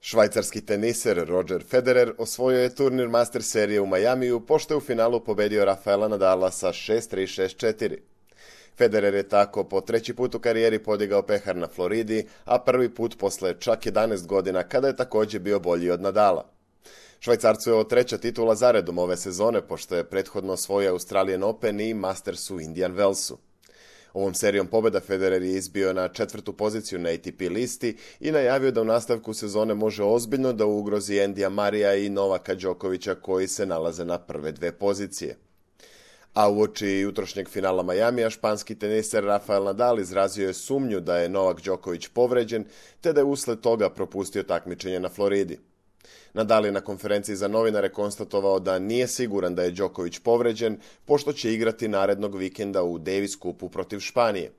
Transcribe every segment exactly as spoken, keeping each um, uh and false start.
Švajcarski teniser Roger Federer osvojio je turnir Master serije u Majamiju, pošto je u finalu pobedio Rafaela Nadala sa šest tri šest četiri. Federer je tako po treći put u karijeri podigao pehar na Floridi, a prvi put posle čak jedanaest godina kada je također bio bolji od Nadala. Švajcarcu je ovo treća titula zaredom ove sezone, pošto je prethodno osvojio Australian Open i Masters u Indian Wellsu. Ovom serijom pobjeda Federer je izbio na četvrtu poziciju na A T P listi i najavio da u nastavku sezone može ozbiljno da ugrozi Andyja Murraya i Novaka Đokovića koji se nalaze na prve dve pozicije. A uoči jutrošnjeg finala Majamija, španski teniser Rafael Nadal izrazio je sumnju da je Novak Đoković povređen, te da je usled toga propustio takmičenje na Floridi. Nadal je na konferenciji za novinare konstatovao da nije siguran da je Đoković povređen, pošto će igrati narednog vikenda u Davis Cupu protiv Španije.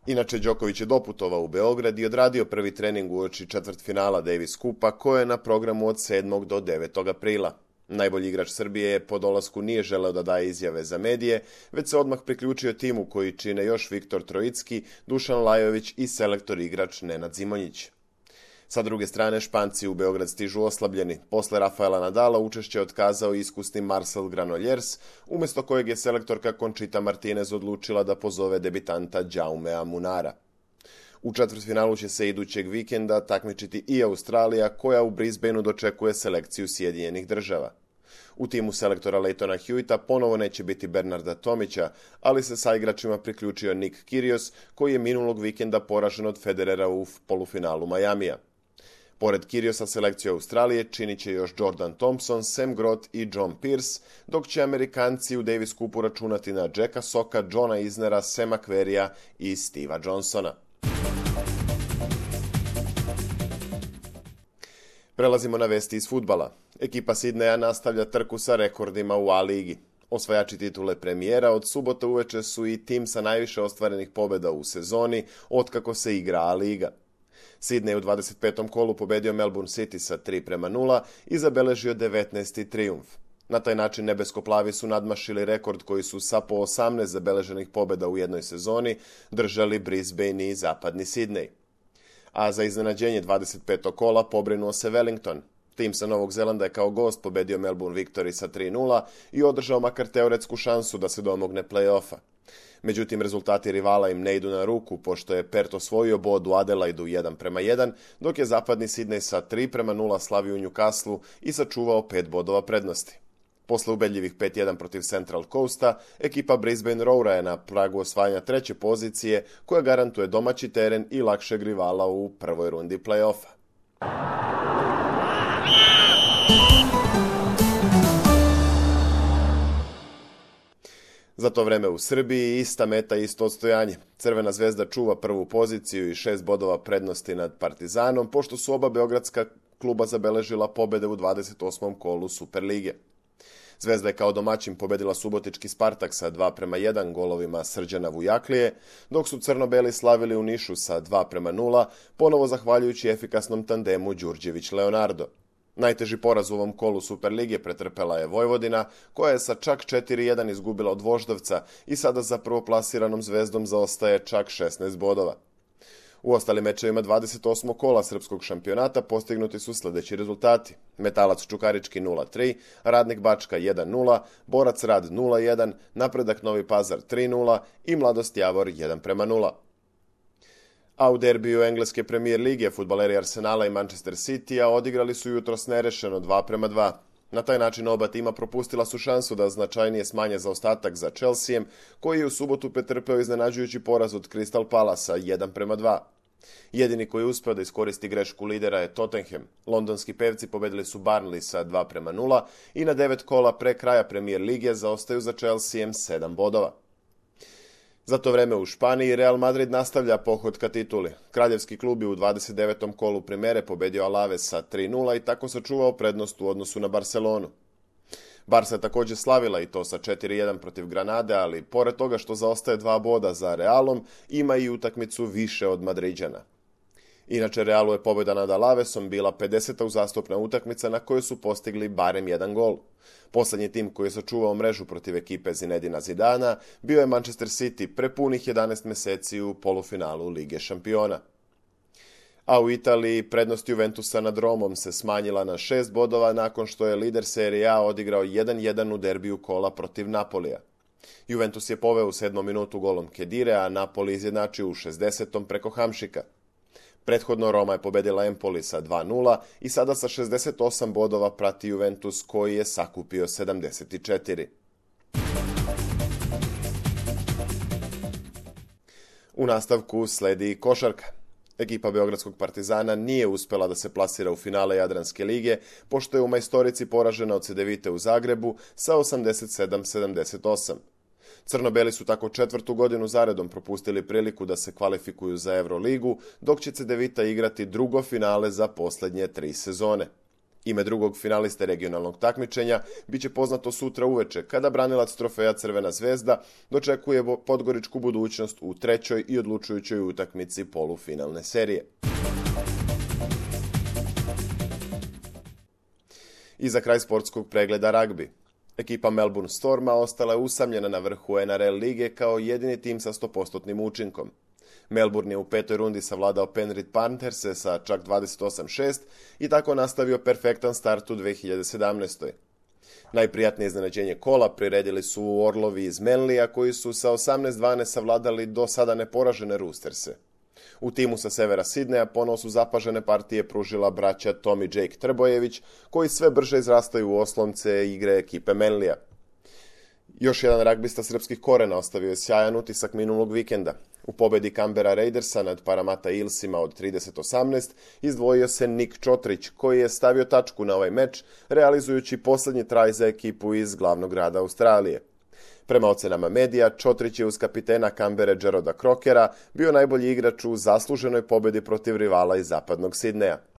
Inače, Đoković je doputovao u Beograd i odradio prvi trening uoči četvrtfinala Davis Cupa, koje je na programu od sedmog do devetog aprila. Najbolji igrač Srbije po dolasku nije želeo da daje izjave za medije, već se odmah priključio timu koji čine još Viktor Trojicki, Dušan Lajović i selektor igrač Nenad Zimonjić. Sa druge strane, Španci u Beograd stižu oslabljeni. Posle Rafaela Nadala učešće je otkazao iskusni Marcel Granollers, umjesto kojeg je selektorka Conchita Martinez odlučila da pozove debitanta Jaumea Munara. U četvrtfinalu će se idućeg vikenda takmičiti i Australija, koja u Brisbaneu dočekuje selekciju Sjedinjenih Država. U timu selektora Leightona Hewita ponovo neće biti Bernarda Tomića, ali se sa igračima priključio Nick Kyrgios, koji je minulog vikenda poražen od Federera u polufinalu Majamija. Pored Kyrgiosa selekciju Australije činit će još Jordan Thompson, Sam Groth i John Pearce, dok će Amerikanci u Davis Cupu računati na Jacka Socka, Johna Isnera, Sama Querrya i Steva Johnsona. Prelazimo na vesti iz fudbala. Ekipa Sidneja nastavlja trku sa rekordima u A ligi. Osvajači titule premijera od subote uveče su i tim sa najviše ostvarenih pobjeda u sezoni otkako se igra A liga. Sidney u dvadeset petom kolu pobedio Melbourne City sa tri prema nula i zabeležio devetnaesti trijumf. Na taj način nebeskoplavi su nadmašili rekord koji su sa po osamnaest zabeleženih pobjeda u jednoj sezoni držali Brisbane i zapadni Sidney. A za iznenađenje dvadeset petog kola pobrinuo se Wellington. Tim sa Novog Zelanda je kao gost pobedio Melbourne Victory sa tri nula i održao makar teoretsku šansu da se domogne play-offa. Međutim, rezultati rivala im ne idu na ruku, pošto je Perth osvojio bod u Adelaidu jedan prema jedan, dok je zapadni Sidney sa tri prema nula slavio u Newcastleu i sačuvao pet bodova prednosti. Posle ubedljivih pet jedan protiv Central Coasta, ekipa Brisbane Roara je na pragu osvajanja treće pozicije, koja garantuje domaći teren i lakšeg rivala u prvoj rundi play-offa. Za to vreme u Srbiji ista meta i isto odstojanje. Crvena zvezda čuva prvu poziciju i šest bodova prednosti nad Partizanom, pošto su oba beogradska kluba zabeležila pobjede u dvadeset osmom kolu Superlige. Zvezda je kao domaćin pobedila subotički Spartak sa dva prema jedan golovima Srđana Vujaklije, dok su crno-beli slavili u Nišu sa dva prema nula, ponovo zahvaljujući efikasnom tandemu Đurđević-Leonardo. Najteži poraz u ovom kolu Superlige pretrpela je Vojvodina, koja je sa čak četiri jedan izgubila od Voždovca i sada za prvoplasiranom Zvezdom zaostaje čak šesnaest bodova. U ostalim mečevima dvadeset osmog kola srpskog šampionata postignuti su sljedeći rezultati. Metalac Čukarički nula tri, Radnik Bačka jedan nula, Borac Rad nula jedan, Napredak Novi Pazar tri nula i Mladost Javor jedan prema nula. A u derbiju engleske premijer lige fudbaleri Arsenala i Manchester City-a odigrali su jutros nerešeno dva prema dva. Na taj način oba tima propustila su šansu da značajnije smanje zaostatak za Chelseaem, koji je u subotu pretrpeo iznenađujući poraz od Crystal Palasa jedan prema dva. Jedini koji je uspeo da iskoristi grešku lidera je Tottenham. Londonski pevci pobedili su Burnley sa dva prema nula i na devet kola pre kraja premijer lige zaostaju za Chelseaem sedam bodova. Za to vreme u Španiji Real Madrid nastavlja pohod ka tituli. Kraljevski klub je u dvadeset devetom kolu Primere pobedio Alaves sa tri nula i tako sačuvao prednost u odnosu na Barcelonu. Barca je također slavila i to sa četiri jedan protiv Granade, ali pored toga što zaostaje dva boda za Realom, ima i utakmicu više od Madriđana. Inače, Realu je pobjeda nad Alavesom bila pedeseta uzastopna utakmica na kojoj su postigli barem jedan gol. Poslednji tim koji je sačuvao mrežu protiv ekipe Zinedina Zidana bio je Manchester City pre punih jedanaest meseci u polufinalu Lige šampiona. A u Italiji prednost Juventusa nad Romom se smanjila na šest bodova nakon što je lider Serie A odigrao jedan jedan u derbiju kola protiv Napolija. Juventus je poveo u sedmom minutu golom Kedire, a Napoli izjednačio u šezdesetom preko Hamšika. Prethodno Roma je pobedila Empoli sa dva nula i sada sa šezdeset osam bodova prati Juventus koji je sakupio sedamdeset četiri. U nastavku sledi košarka. Ekipa Beogradskog Partizana nije uspela da se plasira u finale Jadranske lige, pošto je u majstorici poražena od Cedevite u Zagrebu sa osamdeset sedam sedamdeset osam. Crno-beli su tako četvrtu godinu zaredom propustili priliku da se kvalifikuju za Euroligu, dok će Cedevita igrati drugo finale za posljednje tri sezone. Ime drugog finaliste regionalnog takmičenja biće poznato sutra uveče, kada branilac trofeja Crvena zvezda dočekuje podgoričku budućnost u trećoj i odlučujućoj utakmici polufinalne serije. I za kraj sportskog pregleda ragbi. Ekipa Melbourne Storma ostala je usamljena na vrhu N R L lige kao jedini tim sa sto posto učinkom. Melbourne je u petoj rundi savladao Penrith Pantherse sa čak dvadeset osam šest i tako nastavio perfektan start u dve hiljade sedamnaestoj. Najprijatnije iznenađenje kola priredili su Orlovi iz Manleya koji su sa osamnaest dvanaest savladali do sada neporažene Roosterse. U timu sa severa Sidneja ponovo su zapažene partije pružila braća Tom i Jake Trbojević, koji sve brže izrastaju u oslonce igre ekipe Manleya. Još jedan ragbista srpskih korena ostavio je sjajan utisak minulog vikenda. U pobedi Canberra Raidersa nad Parramatta Eelsima od trideset osamnaest izdvojio se Nik Čotrić, koji je stavio tačku na ovaj meč, realizujući posljednji traj za ekipu iz glavnog grada Australije. Prema ocenama medija, Čotrić je uz kapitena Canberre Jeroda Crokera bio najbolji igrač u zasluženoj pobedi protiv rivala iz zapadnog Sidneja.